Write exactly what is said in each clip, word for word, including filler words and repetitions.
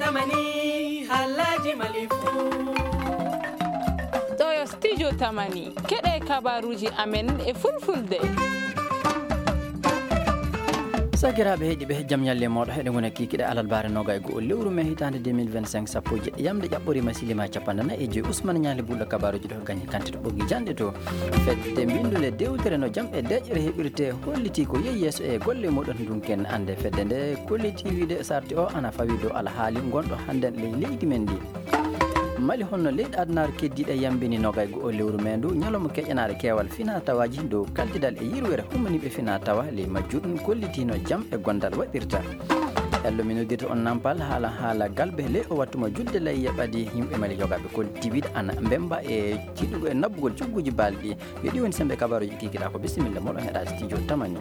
Tamani, halaji malifu. Ɗo yo studio Tamani. Keɗe kabaruji amen e fulfulde. Sakiraaɓe heɗiɓe, jam ñalle mooɗo heɗe ngona kikiɗe alalbaare noga e go'o lewru me hitaande deux mille vingt-cinq, sappo e jeɗɗi yamde ƴaɓɓoriima silima capanɗe nayi e joyi. Usman Ñaali Bulɗo kabaruji ɗo gañi kanti to ɓoggi janɗe to. Fedde mbinndunde dewtere no jam e deƴƴere heɓirte holliti ko yehi yeeso e golle muɗum. Ndunken annde fedde nde kolliti wiide sarti o ana fawi dow alhaali ngonɗo hannden ley leydi men ndi. Mali honno leyɗe adunaaru keddiiɗe yambini nogay go'o lewru me ndu ñalawma keƴanaare keewal fina tawaaji dow kaltidal e yirwere hummaniiɓe fina tawa ley majjuɗum kollitino jam e gondal waɗirta. Ello mi noddirta on nampal haala haala galbe ley o wattu mo judde lay yeɓadi yimɓe Mali yogaaɓe kolliti wiide ana mbemba e tiɗugol e nabbugol cugguji baalɗi. Yo ɗi woni sembe kabaruji kikiɗa ko bisimilla moɗon heɗa studio Tamani.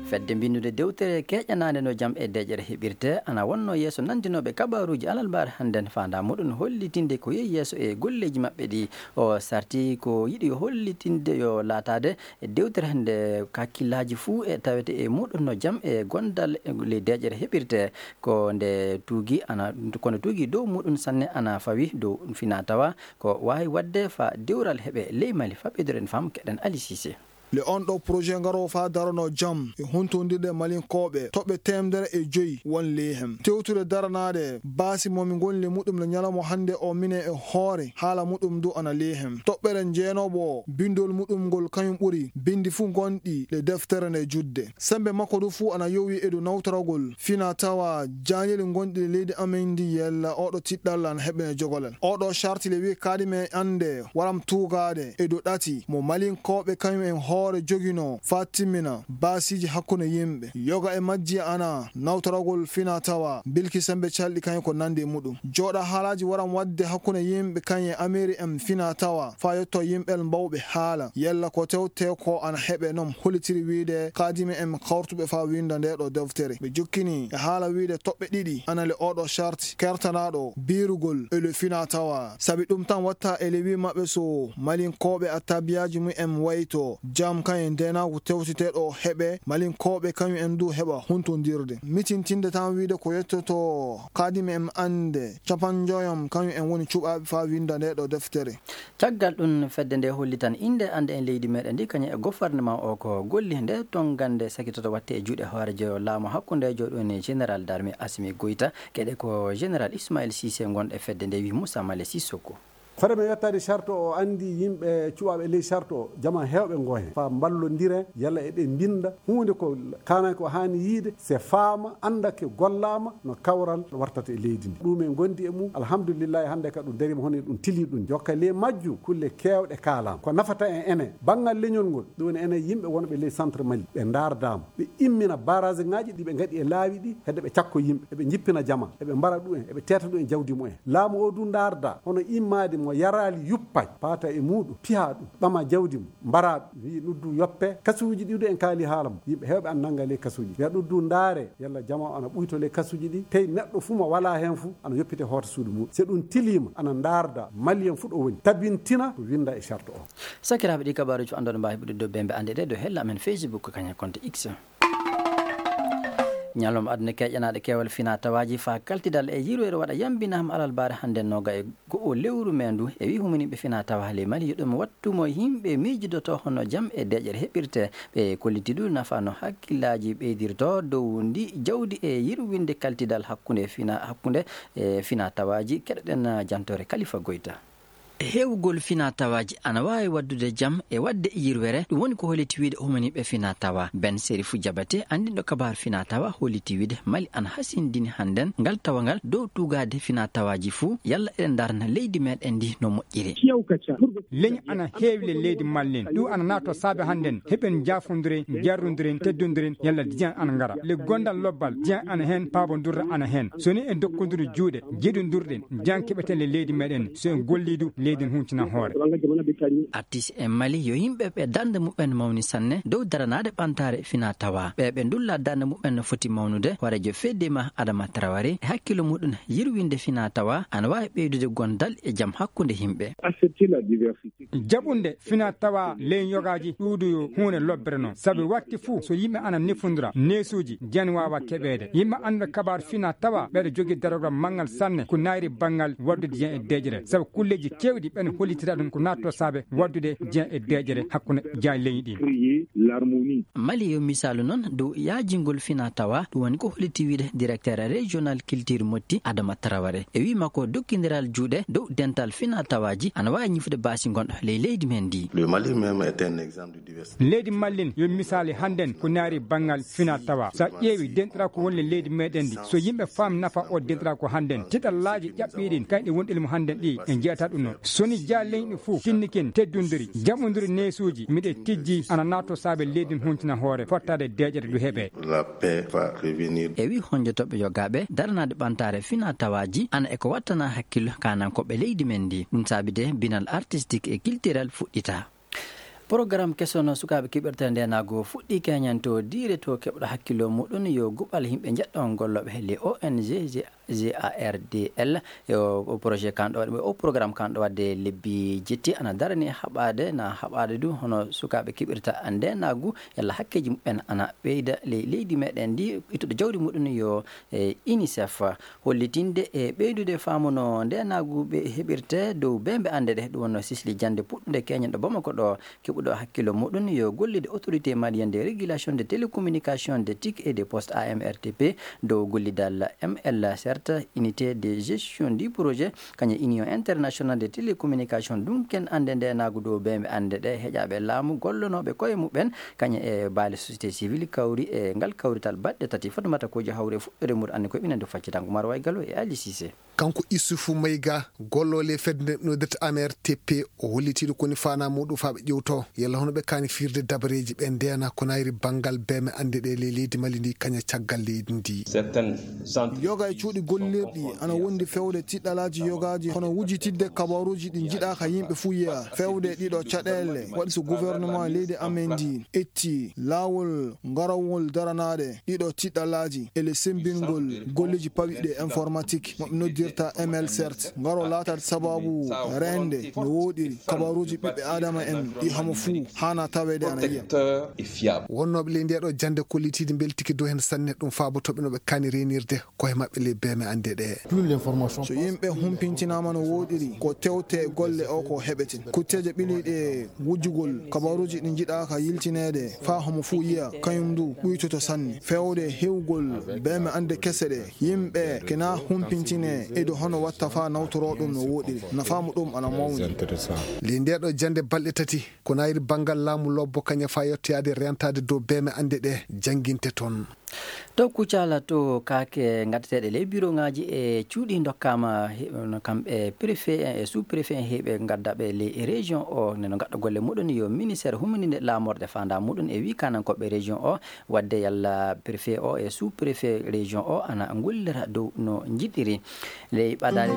Fedde mbinnude dewtere keƴanaande no jam e deƴere heɓirte ana wonno yeeso nandinooɓe kabaruji alalbaare hannden faanda muɗum hollitinde ko yehi yeeso e golleji maɓɓe ɗi. O sarti ko yiɗi hollitinde yo laataade e dewtere hannde kakkillaaji fuu e tawete e muɗum no jam e gondal e ley deƴere heɓirte. Ko nde tuugi ana, kono tuugi dow muɗum sanne ana fawi dow fina tawa ko waawi waɗde fa dewral heɓe ley Mali. Fa ɓeydoren fam keɗen Ali Cissé. Le on ɗo projet ngaro fa darono jam e huntondirde Malinkooɓe toɓɓe teemedere e joyi won ley hem. Tewtude daranaade baasi mo mi ngoni le muɗum le ñalawma hannde o mine e hoore haala muɗum du ana ley hem. Toɓɓere jeenooɓo o bindol muɗum ngol kañum ɓuri bindi fuu ngonɗi le deftere nde judde. Sembe makko du fuu ana yowi e dow nawtoragol fina tawa jaaneli ngonɗi le leydi amen ndi yella oɗo tiɗɗal ana heɓene jogolal. Oɗo charti le wi kaadi men annde waram tuugaade e dow ɗati mo Malinkooɓe kañum en hoore jogino fa timmina baasiiji hakkunde yimɓe. Yoga e majji ana nawtoragol fina tawa bilki sembe calɗi kañum ko nandi e muɗum. Jooɗa haalaaji waram waɗde hakkunde yimɓe kañum e Ameri en fina tawa fa yetto yimɓel mbawɓe haala yella ko tewte ko ana heɓe noon hollitiri wiide kaadimi en kawrutuɓe fa winda nde ɗo deftere. Ɓe jokkini e haala wiide toɓɓe ɗiɗi ana le oɗo charti kertanaaɗo biirugol e le fina tawa. Sabi ɗum tan watta e le wi maɓɓe so Malinkooɓe a tabiyaaji mum en wayto jam kañum e ndenaagu tewtiteɗo heɓe Malinkooɓe kañum en du heɓa huntondirde. Mitintinde tan wiide ko yettoto kaadimi en annde capanjoyam kañum en woni cuɓaaɓe fa winda nde ɗo deftere. Caggal ɗum, fedde nde hollitan innde annde en leydi meɗen ndi, kañum e gouvernement o ko golli nde tongannde sakitoto watte e juuɗe hoorejo laamu hakkundejo ɗum ni Général d'armée Assimi Goïta, keɗe ko Général Ismaël Cissé gonɗo e fedde nde wi Moussa Malé Sissoko. Fare men yettaade charte o, o anndi yimɓe cuɓaaɓe ley charte o, jama heewɓe ngo heen. Fa mballondire, yalla eɓe mbinnda huunde ko kaananke o haani yiide, se faama, annda ke gollaama, no kawral wartata e leydi ndi. Ɗum en ngondi e mum, alhamdulillahi, hannde ka ɗum dariima hono e ɗum tilii ɗum. Jokka ley majjum, kulle keewɗe kaalaama. Ko nafata en enen, banngal leñol ngol, ɗum woni enen yimɓe wonɓe ley centre Mali, ɓe ndaardaama. Ɓe immina barrage ŋaaji ɗi ɓe ngaɗi e laawi ɗi, hedde ɓe cakko yimɓe, eɓe njippina jama, eɓe mbara ɗum en, eɓe teeta ɗum en jawdi mumen. Laamu o du ndaarda, hono immaade mo yaraali yuppay, paata e muuɗum, piha ɗum, ɓama jawdi mum, mbara ɗum. Wi ɗum du yoppe, kasuuji ɗi du en kaali haala mum. Yimɓe heewɓe an nannga ley kasuuji. Wiya ɗum du ndaare, yalla jama o ana ɓuyto ley kasuuji ɗi, tey neɗɗo fuu mo walaa heen fuu, ana yoppite hoota suudu mum. Se ɗum tiliima, ana ndaarda, Malien fuu ɗo woni, tabintina ko winnda e charte o. Sakiraaɓe, ɗi kabaaruuji fof annduɗo mbaawi heɓude dow bembe annde ɗe dow hella amen Facebook, kañum e compte X. Ñalawma aduna keƴanaaɗo keewal fina tawaaji faa kaltidal e yirwere waɗa yambinaama alalbaare hannde nooga e go'o lewru me ndu. E wi humaniiɓe fina tawa ley Mali, yo ɗum wattu mo yimɓe miijidotoo hono jam e deƴƴere heɓirte. Ɓe kolliti du nafa no hakkillaaji ɓeydirtoo dow ndi jawdi e yirwinde kaltidal hakkunde fina, hakkunde e fina tawaaji. Keɗoɗen jantoore Kalifa Goyta. Heewgol fina tawaaji ana waawi waddude jam e waɗde yirwere. Ɗum woni ko holliti wiide humaniiɓe fina tawa. Ben Serifu Jabate, anndinɗo kabaaru fina tawa, holliti wiide Mali ana hasindini hannden ngal tawangal dow tuugaade fina tawaaji fuu, yalla eɗen ndarna leydi meɗen ndi no moƴƴiri. Leñi ana heewi le leydi Mali nden. Ɗum ana naatoo saabe hannden heɓen jaafondiren, jarrondiren, teddondiren, yalla diyan ana ngara. Le gondal lobbal, diyan ana heen, paabondirre ana heen. So ni en dokkondirii juuɗe, jiɗondirɗen, diyan keɓeten le leydi meɗen. So en gollii du, leydi n huncina hoore. Artis e Mali yo yimɓe ɓe darnde muɓɓen mawni sanne dow daranaade ɓantaare fina tawa. Ɓe ɓe ndulla darnde muɓɓen no foti mawnude, warejo Fedema Adama Traoré e hakkillo muɗum yirwinde fina tawa ana waawi ɓeydude gondal e jam hakkunde yimɓe. Jaɓunde fina tawa ley yogaaji ɗuuɗuyo huunde lobbere noon. Sabi wakti fuu so yimɓe ana nefondira, neesuuji jen waawa keɓeede. Yimɓe annduɓe kabaar fina tawa ɓeɗo jogii darogol manngal sanne ko naayri banngal waddude jen e deeƴre. Sabu kulleeji keewɗi ɓen hollitira ɗum ko naatto saabe waddude jen e deeƴre hakkunde jaañ leñi ɗin. Mali yo misaalu noon dow yaajingol fina tawa, ɗum woni ko holliti wiide directeur régional culture motti Adama Traoré. E wii makko dokkindiral juuɗe dow dental fina tawaaji ana waawi ñifude baasi gonɗo ley leydi men ndi. Le Mali même est un exemple de diversité. Leydi Mallin yo misaali hannden ko naari banngal fina tawa. So a ƴeewi denɗira ko woni leydi meɗen ndi, so yimɓe faam nafa o denɗira ko hannden, tiɗallaaji ƴaɓɓiiɗin kayɗe wonɗi mo hannden ɗi en jeyata ɗum noon. So ni jaa leñɗi fof tinnikin teddundiri, jaɓondiri neesuuji, miɗe tijji ana naatto saabe leydi n huntina hoore, fottaade deeƴere ndu heɓe. La paix va revenir. E wi honjotoɓe yogaaɓe daranaade ɓantaare fina tawaaji ana e ko wattana hakkillo kaanankooɓe leydi men ndi. Ɗum saabi de binal artistique e culturel fuɗɗita. Programme keso no sukaaɓe keɓirta ndeenaagu fuɗɗii keñan to diire to keɓɗo hakkillo muɗum yo guɓal yimɓe njeɗɗo gollooɓe he le O N G G A R D L. E o, o projet kanɗo waɗ-, o programme kanɗo waɗde lebbi jetti ana darani haɓaade, na haɓaade du hono sukaaɓe keɓirta ndeenaagu, yalla hakkeeji muɓɓen ana ɓeyda ley leydi meɗen ndi, ittuɗo jawdi muɗum yo, e, UNICEF. Hollitinde e ɓeydude faamu no ndeenaagu ɓe heɓirte dow beembe annde ɗe, ɗum wonno sisli jannde puɗɗunde keñen ɗo Bamako ɗo, keɓuɗo hakkillo muɗum yo gollide Autorité Malienne de Régulation de Télécommunication de Tic et de Poste, A M R T P, dow gollidal M L, certes, Unité de Gestion du Projet, kañum Union Internationale de Télécommunication, ɗum ken annde ndeenaagu dow beembe annde ɗe, heƴaaɓe laamu, gollonooɓe koye muɓɓen, kañum e baale société civile kawri e ngal kawrital baɗɗe tati. Fatoumata Kojo hawri e fuɗɗoode muɗum anndi koye ɓinande faccitango Maro Way Gallo e Ali Cissé. Kanko Issoufou Maïga, golloowo e fedde nde noddirta A M R T P, o hollitiiɗo ko woni faanaa muɗum faa ɓe ƴeewto yalla hono ɓe kaani firde dabareeji ɓe ndeena ko naayri banngal beembe annde ɗe ley leydi Mali ndi kaña caggal leydi ndi. Yoga e cuuɗi gollirɗi ana wondi fewde tiɗɗalaaji yogaaji hono wujitidde kabaaruuji ɗi njiɗaaka yimɓe fuu yiya. Fewde ɗiɗo caɗeele waɗi so gouvernement leydi amen ndi etti laawol garawol daranaade ɗiɗo tiɗɗalaaji e le sembingol golleeji pawɗi e informatique mo ɓe noddirta M L cert ngaro laataade sababu reende no wooɗiri kabaaruuji ɓiɓɓe aadama en ɗi homo fuu haana taweede ana yiya. Wonnooɓe ley ndeeɗo jannde kollitiiɗi mbeltike dow heen sanne, ɗum faabotooɓe no ɓe kaani reenirde koye maɓɓe ley beembe annde ɗe. So yimɓe humpintinaama no wooɗiri ko tewte golle o ko heɓeten kutteeje ɓiliiɗe e wujjugol kabaaruuji ɗi njiɗaaka yiltineede faa homo fuu yiya, kañum ndu ɗuytoto sanne. Feewde heewgol beembe annde kese ɗe, yimɓe kena humpintine e dow hono watta faa nawtoroo ɗum no wooɗiri. Nafaa muɗum ana mawni. Ley ndeeɗo jannde balɗe tati, ko naayri banngal laamu lobbo kaña faa yettoyaade rentaade dow beembe annde ɗe jannginte toon. To Kucala to kaake ngaddateeɗe ley biroŋaaji e cuuɗi ndokkaama he-, no kamɓe préfet en e sous préfet en heɓe ngaddaɓe ley région o, nde no ngadda golle muɗum yo ministère humininde laamorde faandaa muɗum e wii kaanankooɓe région o, waɗde yalla préfet o e sous préfet région o ana ngullira dow no njiɗiri. Ley ɓadaade.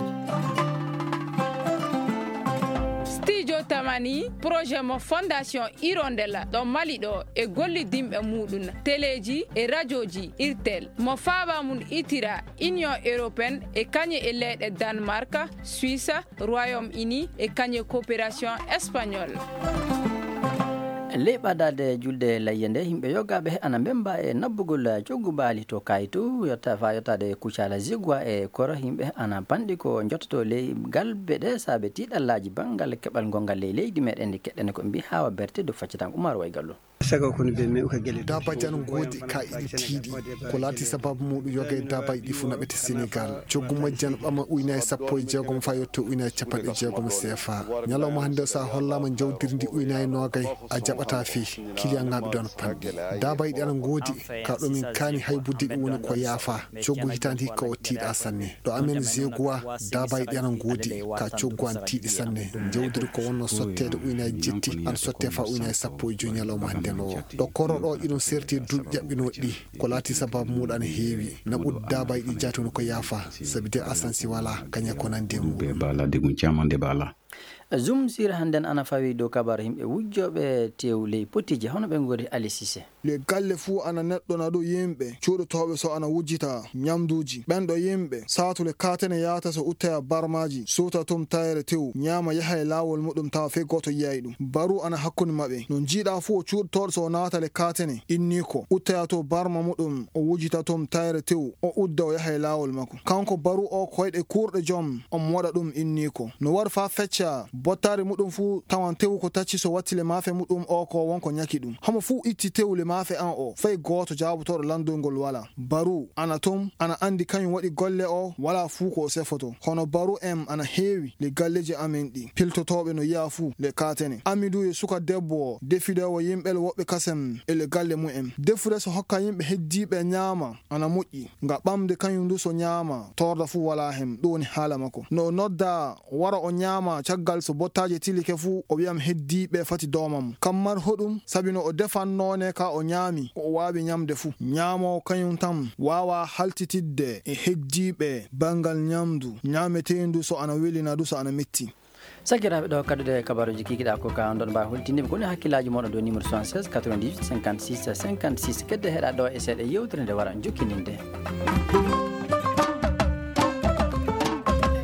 Studio Tamani, projet mo Fondation Hirondella ɗo Mali ɗo e gollidinɓe muɗum, teleeji e rajooji Irtel, mo faaba mum itira Union Européenne e kañe e leyɗe Danemark, Suisse, Royaume Uni e kañe coopération espagnole. Ley ɓadaade julde layya nde, yimɓe yogaaɓe ana mbemba e nabbugol coggu baali to Kaytu, yotta, faa yottaade Kucala Zigwa e Koro, yimɓe ana panɗi ko njottoto ley galbe ɗe saabe tiiɗallaaji banngal keɓal ngongal ley leydi meɗen ndi keɗɗen ko mbi Hawa Berte do faccitan Umar Way Gallo. Sago kono ɓe mew ka gele. Daabaaji ana ngoodi ka iɗi tiiɗi. Ko laati sababu muɗum yoga e daabaaji ɗi fu naɓete Senegal. Coggu majji ana ɓama ujunaaji sappo e jeegom faa yotte ujunaaji capanɗe jeegom C F A. Ñalawma hannde o, so a hollaama njawdiri ndi ujunaaji noogay, a jaɓataa fii. Kiliyaŋaaɓe ɗon panɗi. Daabaaji ɗi ana ngoodi. Ka ɗo min kaani haybudde ɗi woni ko yaafa. Coggu hitaande hikka o tiiɗa sanne. Ɗo amen Zeguwa, daabaaji ɗi ana ngoodi. Ka coggu ana tiiɗi sanne. Njawdiri ko wonno sotteede ujunaaji jetti, ana sotte faa ujunaaji sappo e joy ñalawma hannde no. Ɗo Koro ɗo iɗum serti e duuɓi ƴaɓɓinooɗi ɗi. Ko laati sababu muɗum ana heewi. Naɓude daabaaji ɗi jaati woni ko yaafa. Sabi de asansi walaa, kaña ko nandi e muɗum. Be bala, de gun caman de bala. Zoom sur hannden ana fawi dow kabaru yimɓe wujjooɓe tew ley potiji, hono ɓe ngori Ali Cissé. Le galle fuu ana neɗɗo na ɗo yimɓe cuuɗotooɓe so ana wujjita ñamduuji. Ɓen ɗo yimɓe saatu le kaatene yaata so uttaya barmaaji, suuta tum tayre tew, ñaama yaha e laawol muɗum tawa fey gooto yi'ay ɗum. Baru ana hakkunde maɓɓe. No njiiɗaa fuu o cuuɗotooɗo so o naata le kaatene, inniiko, uttaya to barma muɗum, o wujjita tum tayre tew, o udda o yaha e laawol makko. Kanko baru o koyɗe kuurɗe jom, o moɗa ɗum inniiko. No waru faa fecca, bottaari muɗum fuu tawan tew ko tacci so watti le maafe muɗum o ko wonko ñaki ɗum. Homo fuu itti tew le maafe an o, fay gooto jaabotooɗo lanndol ngol walaa. Baru, ana tum, ana anndi kañum waɗi golle o, walaa fuu ko o sefoto. Hono baru en ana heewi le galleeji amen ɗi. Piltotooɓe no yi'a fuu le kaatene. Amidu yo suka debbo o, defidoowo yimɓe le woɓɓe kasem e le galle mumen. Defude so hokka yimɓe heddiiɓe ñaama, ana moƴƴi. Nga ɓamde kañum du so ñaama, torda fuu walaa hen. Ɗum woni haala makko. No o nodda wara o ñaama caggal so bottaaje tilike fuu, o wi'am heddiiɓe fati doomam. Kam mar hoɗum, sabi no o defan noone ka o ñaami, ko o waawi ñamde fuu. Ñaamoowo kañum tan waawaa haltitidde e heddiiɓe banngal ñamdu, ñaameteendu so ana weli naa du so ana metti. Sakiraaɓe, ɗo kaddude kabaruuji kikiɗaa ko ka on ɗon mbaawi hultinde ko woni hakkillaaji mooɗon dow numéro soixante-seize quatre-vingt-dix-huit cinquante-six cinquante-six. Kedde heɗaa ɗo e seeɗa yewtere nde wara jokkininde.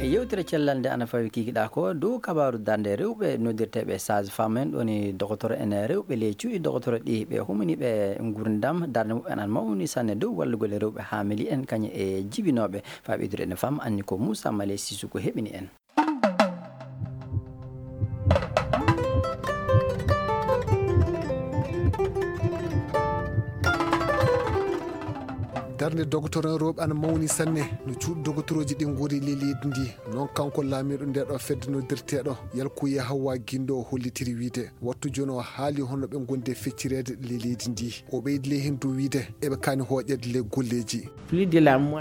E yewtere cellal nde ana fawi kikiɗaa ko dow kabaaru darnde rewɓe noddirteeɓe sage-femme en, ɗoni doktoro en rewɓe ley cuuɗi doktoro ɗi ɓe humani ɓe ngurndam, darnde muɓɓen an mawni sanne dow wallugol e rewɓe haamili en kañum e jibinooɓe. Faa ɓeydude en fam anni ko Moussa Malé Sissoko heɓini en. Darnde dogotoren rewɓe ana mawni sanne no cuuɗi dogotorooji ɗi ngori ley leydi ndi. Noon kanko laamiiɗo nde ɗo fedde noddirteeɗo Yalkuye Hawwa Gindo o hollitiri wiide wattu jooni o haali hono ɓe ngondi e feccireede ley leydi ndi. O ɓeydi ley heen du wiide eɓe kaani hooƴeede ley golleeji.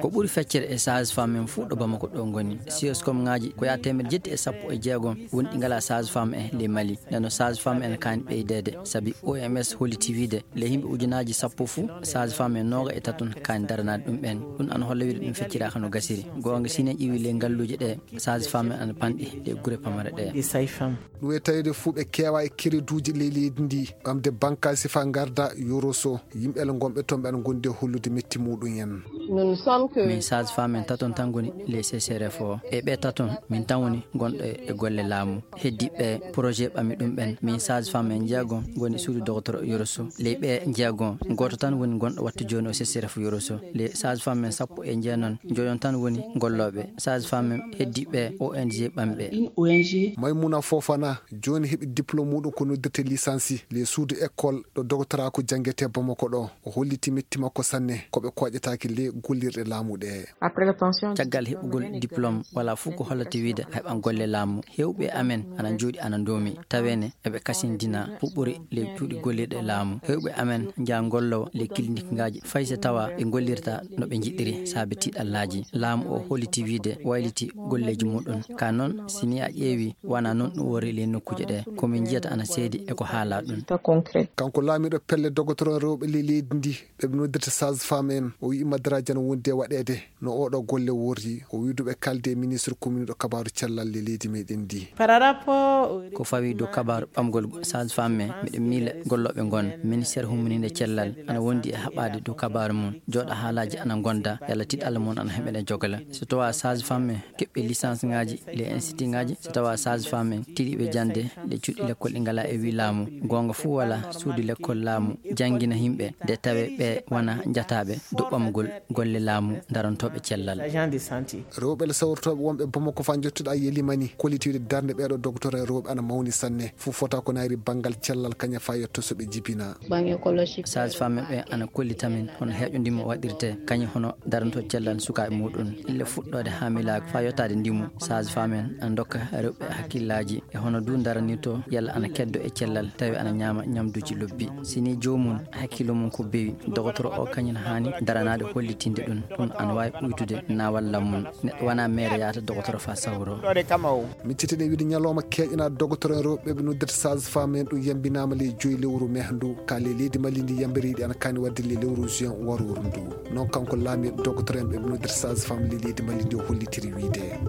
Ko ɓuri feccere e sage-femme en fuu ɗo Bamako ɗo ngoni. Sioscom ŋaaji ko yaa teemeɗe jetti e sappo e jeegom woni ɗi ngalaa sage-femme en ley Mali. Ndeno sage-femme en kaani ɓeydeede, sabi O M S holliti wiide ley yimɓe ujunaaji sappo fuu, sage-femme en nooga e taton kaani daranaade ɗum ɓeen. Ɗum ana holla wiide ɗum fecciraaka no gasiri. Goonga, si en ƴeewi ley ngalluuje ɗe, sage-femme en ana panɗi ɗe gure pamare ɗe. Ɗum e taweede fuu ɓe keewa e kereduuji ley leydi ndi, ɓamde bankaasi faa ngarda Yoroso. Yimɓe le ngonɓe toon ɓe ana ngondi e hollude metti muɗum en. Min sage-femme en taton tan ngoni ley C C R F o. E ɓe taton, min tan woni gonɗo e golle laamu. Heddiiɓe projet ɓami ɗum ɓen. Min sage-femme en jeegom ngoni suudu doktoro Yoroso. Ley ɓe jeegom, gooto tan woni gonɗo wattu jooni o C C R F Yoroso. Ley sage-femme en sappo e jeenon, njoyon tan woni gollooɓe. Sage-femme en heddiiɓe O N G ɓami ɓe. Maymuna Fofana, jooni heɓi diplôme muɗum ko noddirte licence ley suudu école ɗo doctorat ko janngete Bamako ɗo. O holliti metti makko sanne ko ɓe kooƴataake ley gollirɗe laamu ɗe. Caggal heɓugol diplôme, walaa fuu ko hollata wiide a heɓan golle laamu. Heewɓe amen ana njooɗi ana ndoomi, taweene eɓe kasindina puɓɓori ley cuuɗi gollirɗe laamu. Heewɓe amen njaha ngollowa ley kilinikŋaaji, fay so tawa ɓe ngollirta no ɓe njiɗiri saabe tiiɗallaaji. Laamu o holliti wiide wayliti golleeji muɗum. Ka noon, si ni a ƴeewi, wanaa noon ɗum woni ley nokkuuje ɗe. Ko min njiyata ana seedi e ko haalaa ɗum. Kanko laamiiɗo pelle dogotoron rewɓe ley leydi ndi, ɓe ɓe noddirta sage-femme en, o wi'i madaraaji ana wondi e waɗeede no oɗo golle worri. O wi'i du ɓe kaalde e ministre communiɗo kabaaru cellal ley leydi meɗen ndi. Ko fawi dow kabaaru ɓamgol sage-femme en, miɗen miila gollooɓe ngon ministère hummininde cellal ana wondi e haɓaade dow kabaaru mum. Jooɗa haalaaji ana ngonda, yalla tiiɗalla mum ana heɓene jogala. So tawa sage-femme en keɓɓe licence ŋaaji ley institut ŋaaji, so tawa sage-femme en tiiɗiiɓe jannde ɗe cuuɗi lekkol ɗi ngalaa e wii laamu, goonga fuu walaa suudu lekkol laamu janngina yimɓe, nde tawee ɓe wona njataaɓe dow ɓamgol golle laamu darantooɓe cellal. Rewɓe le sawrotooɓe wonɓe Bamako faa njottuɗaa Yelimani, kolliti wiide darnde ɓeeɗo dogotoren rewɓe ana mawni sanne. Fuu fota ko naayri banngal cellal kaña faa yetto so ɓe jibina. Sage-femme ɓe ana kollita min hono heeƴo ndimu waɗirte, kañum hono darantoo cellal sukaaɓe muɗum. Ille fuɗɗoode haamilaagu faa yottaade ndimu, sage-femme en ana ndokka rewɓe hakkillaaji e hono du daranirtoo yalla ana keddo e cellal, tawi ana ñaama ñamduuji lobbi. Si ni joomum hakkillo mum ko bewi, dogotoro o kañum haani daranaade hollitinde ɗum. Ɗum ana waawi ɓuytude naawal lammum. Neɗɗo wona meere yahata dogotoro faa sawroo. Min cetini wiide ñalawma keeƴanaa dogotoro en rewɓe ɓe noddirta sage-femme en ɗum yambinaama ley joyi lewru mehdu ka ley leydi Mali ndi yambiriiɗi ana kaani waɗde ley lewru juin warooru ndu. Noon kanko laamiiɗo dogotoro en ɓe noddirta sage-femme ley leydi Mali ndi o hollitiri wiide.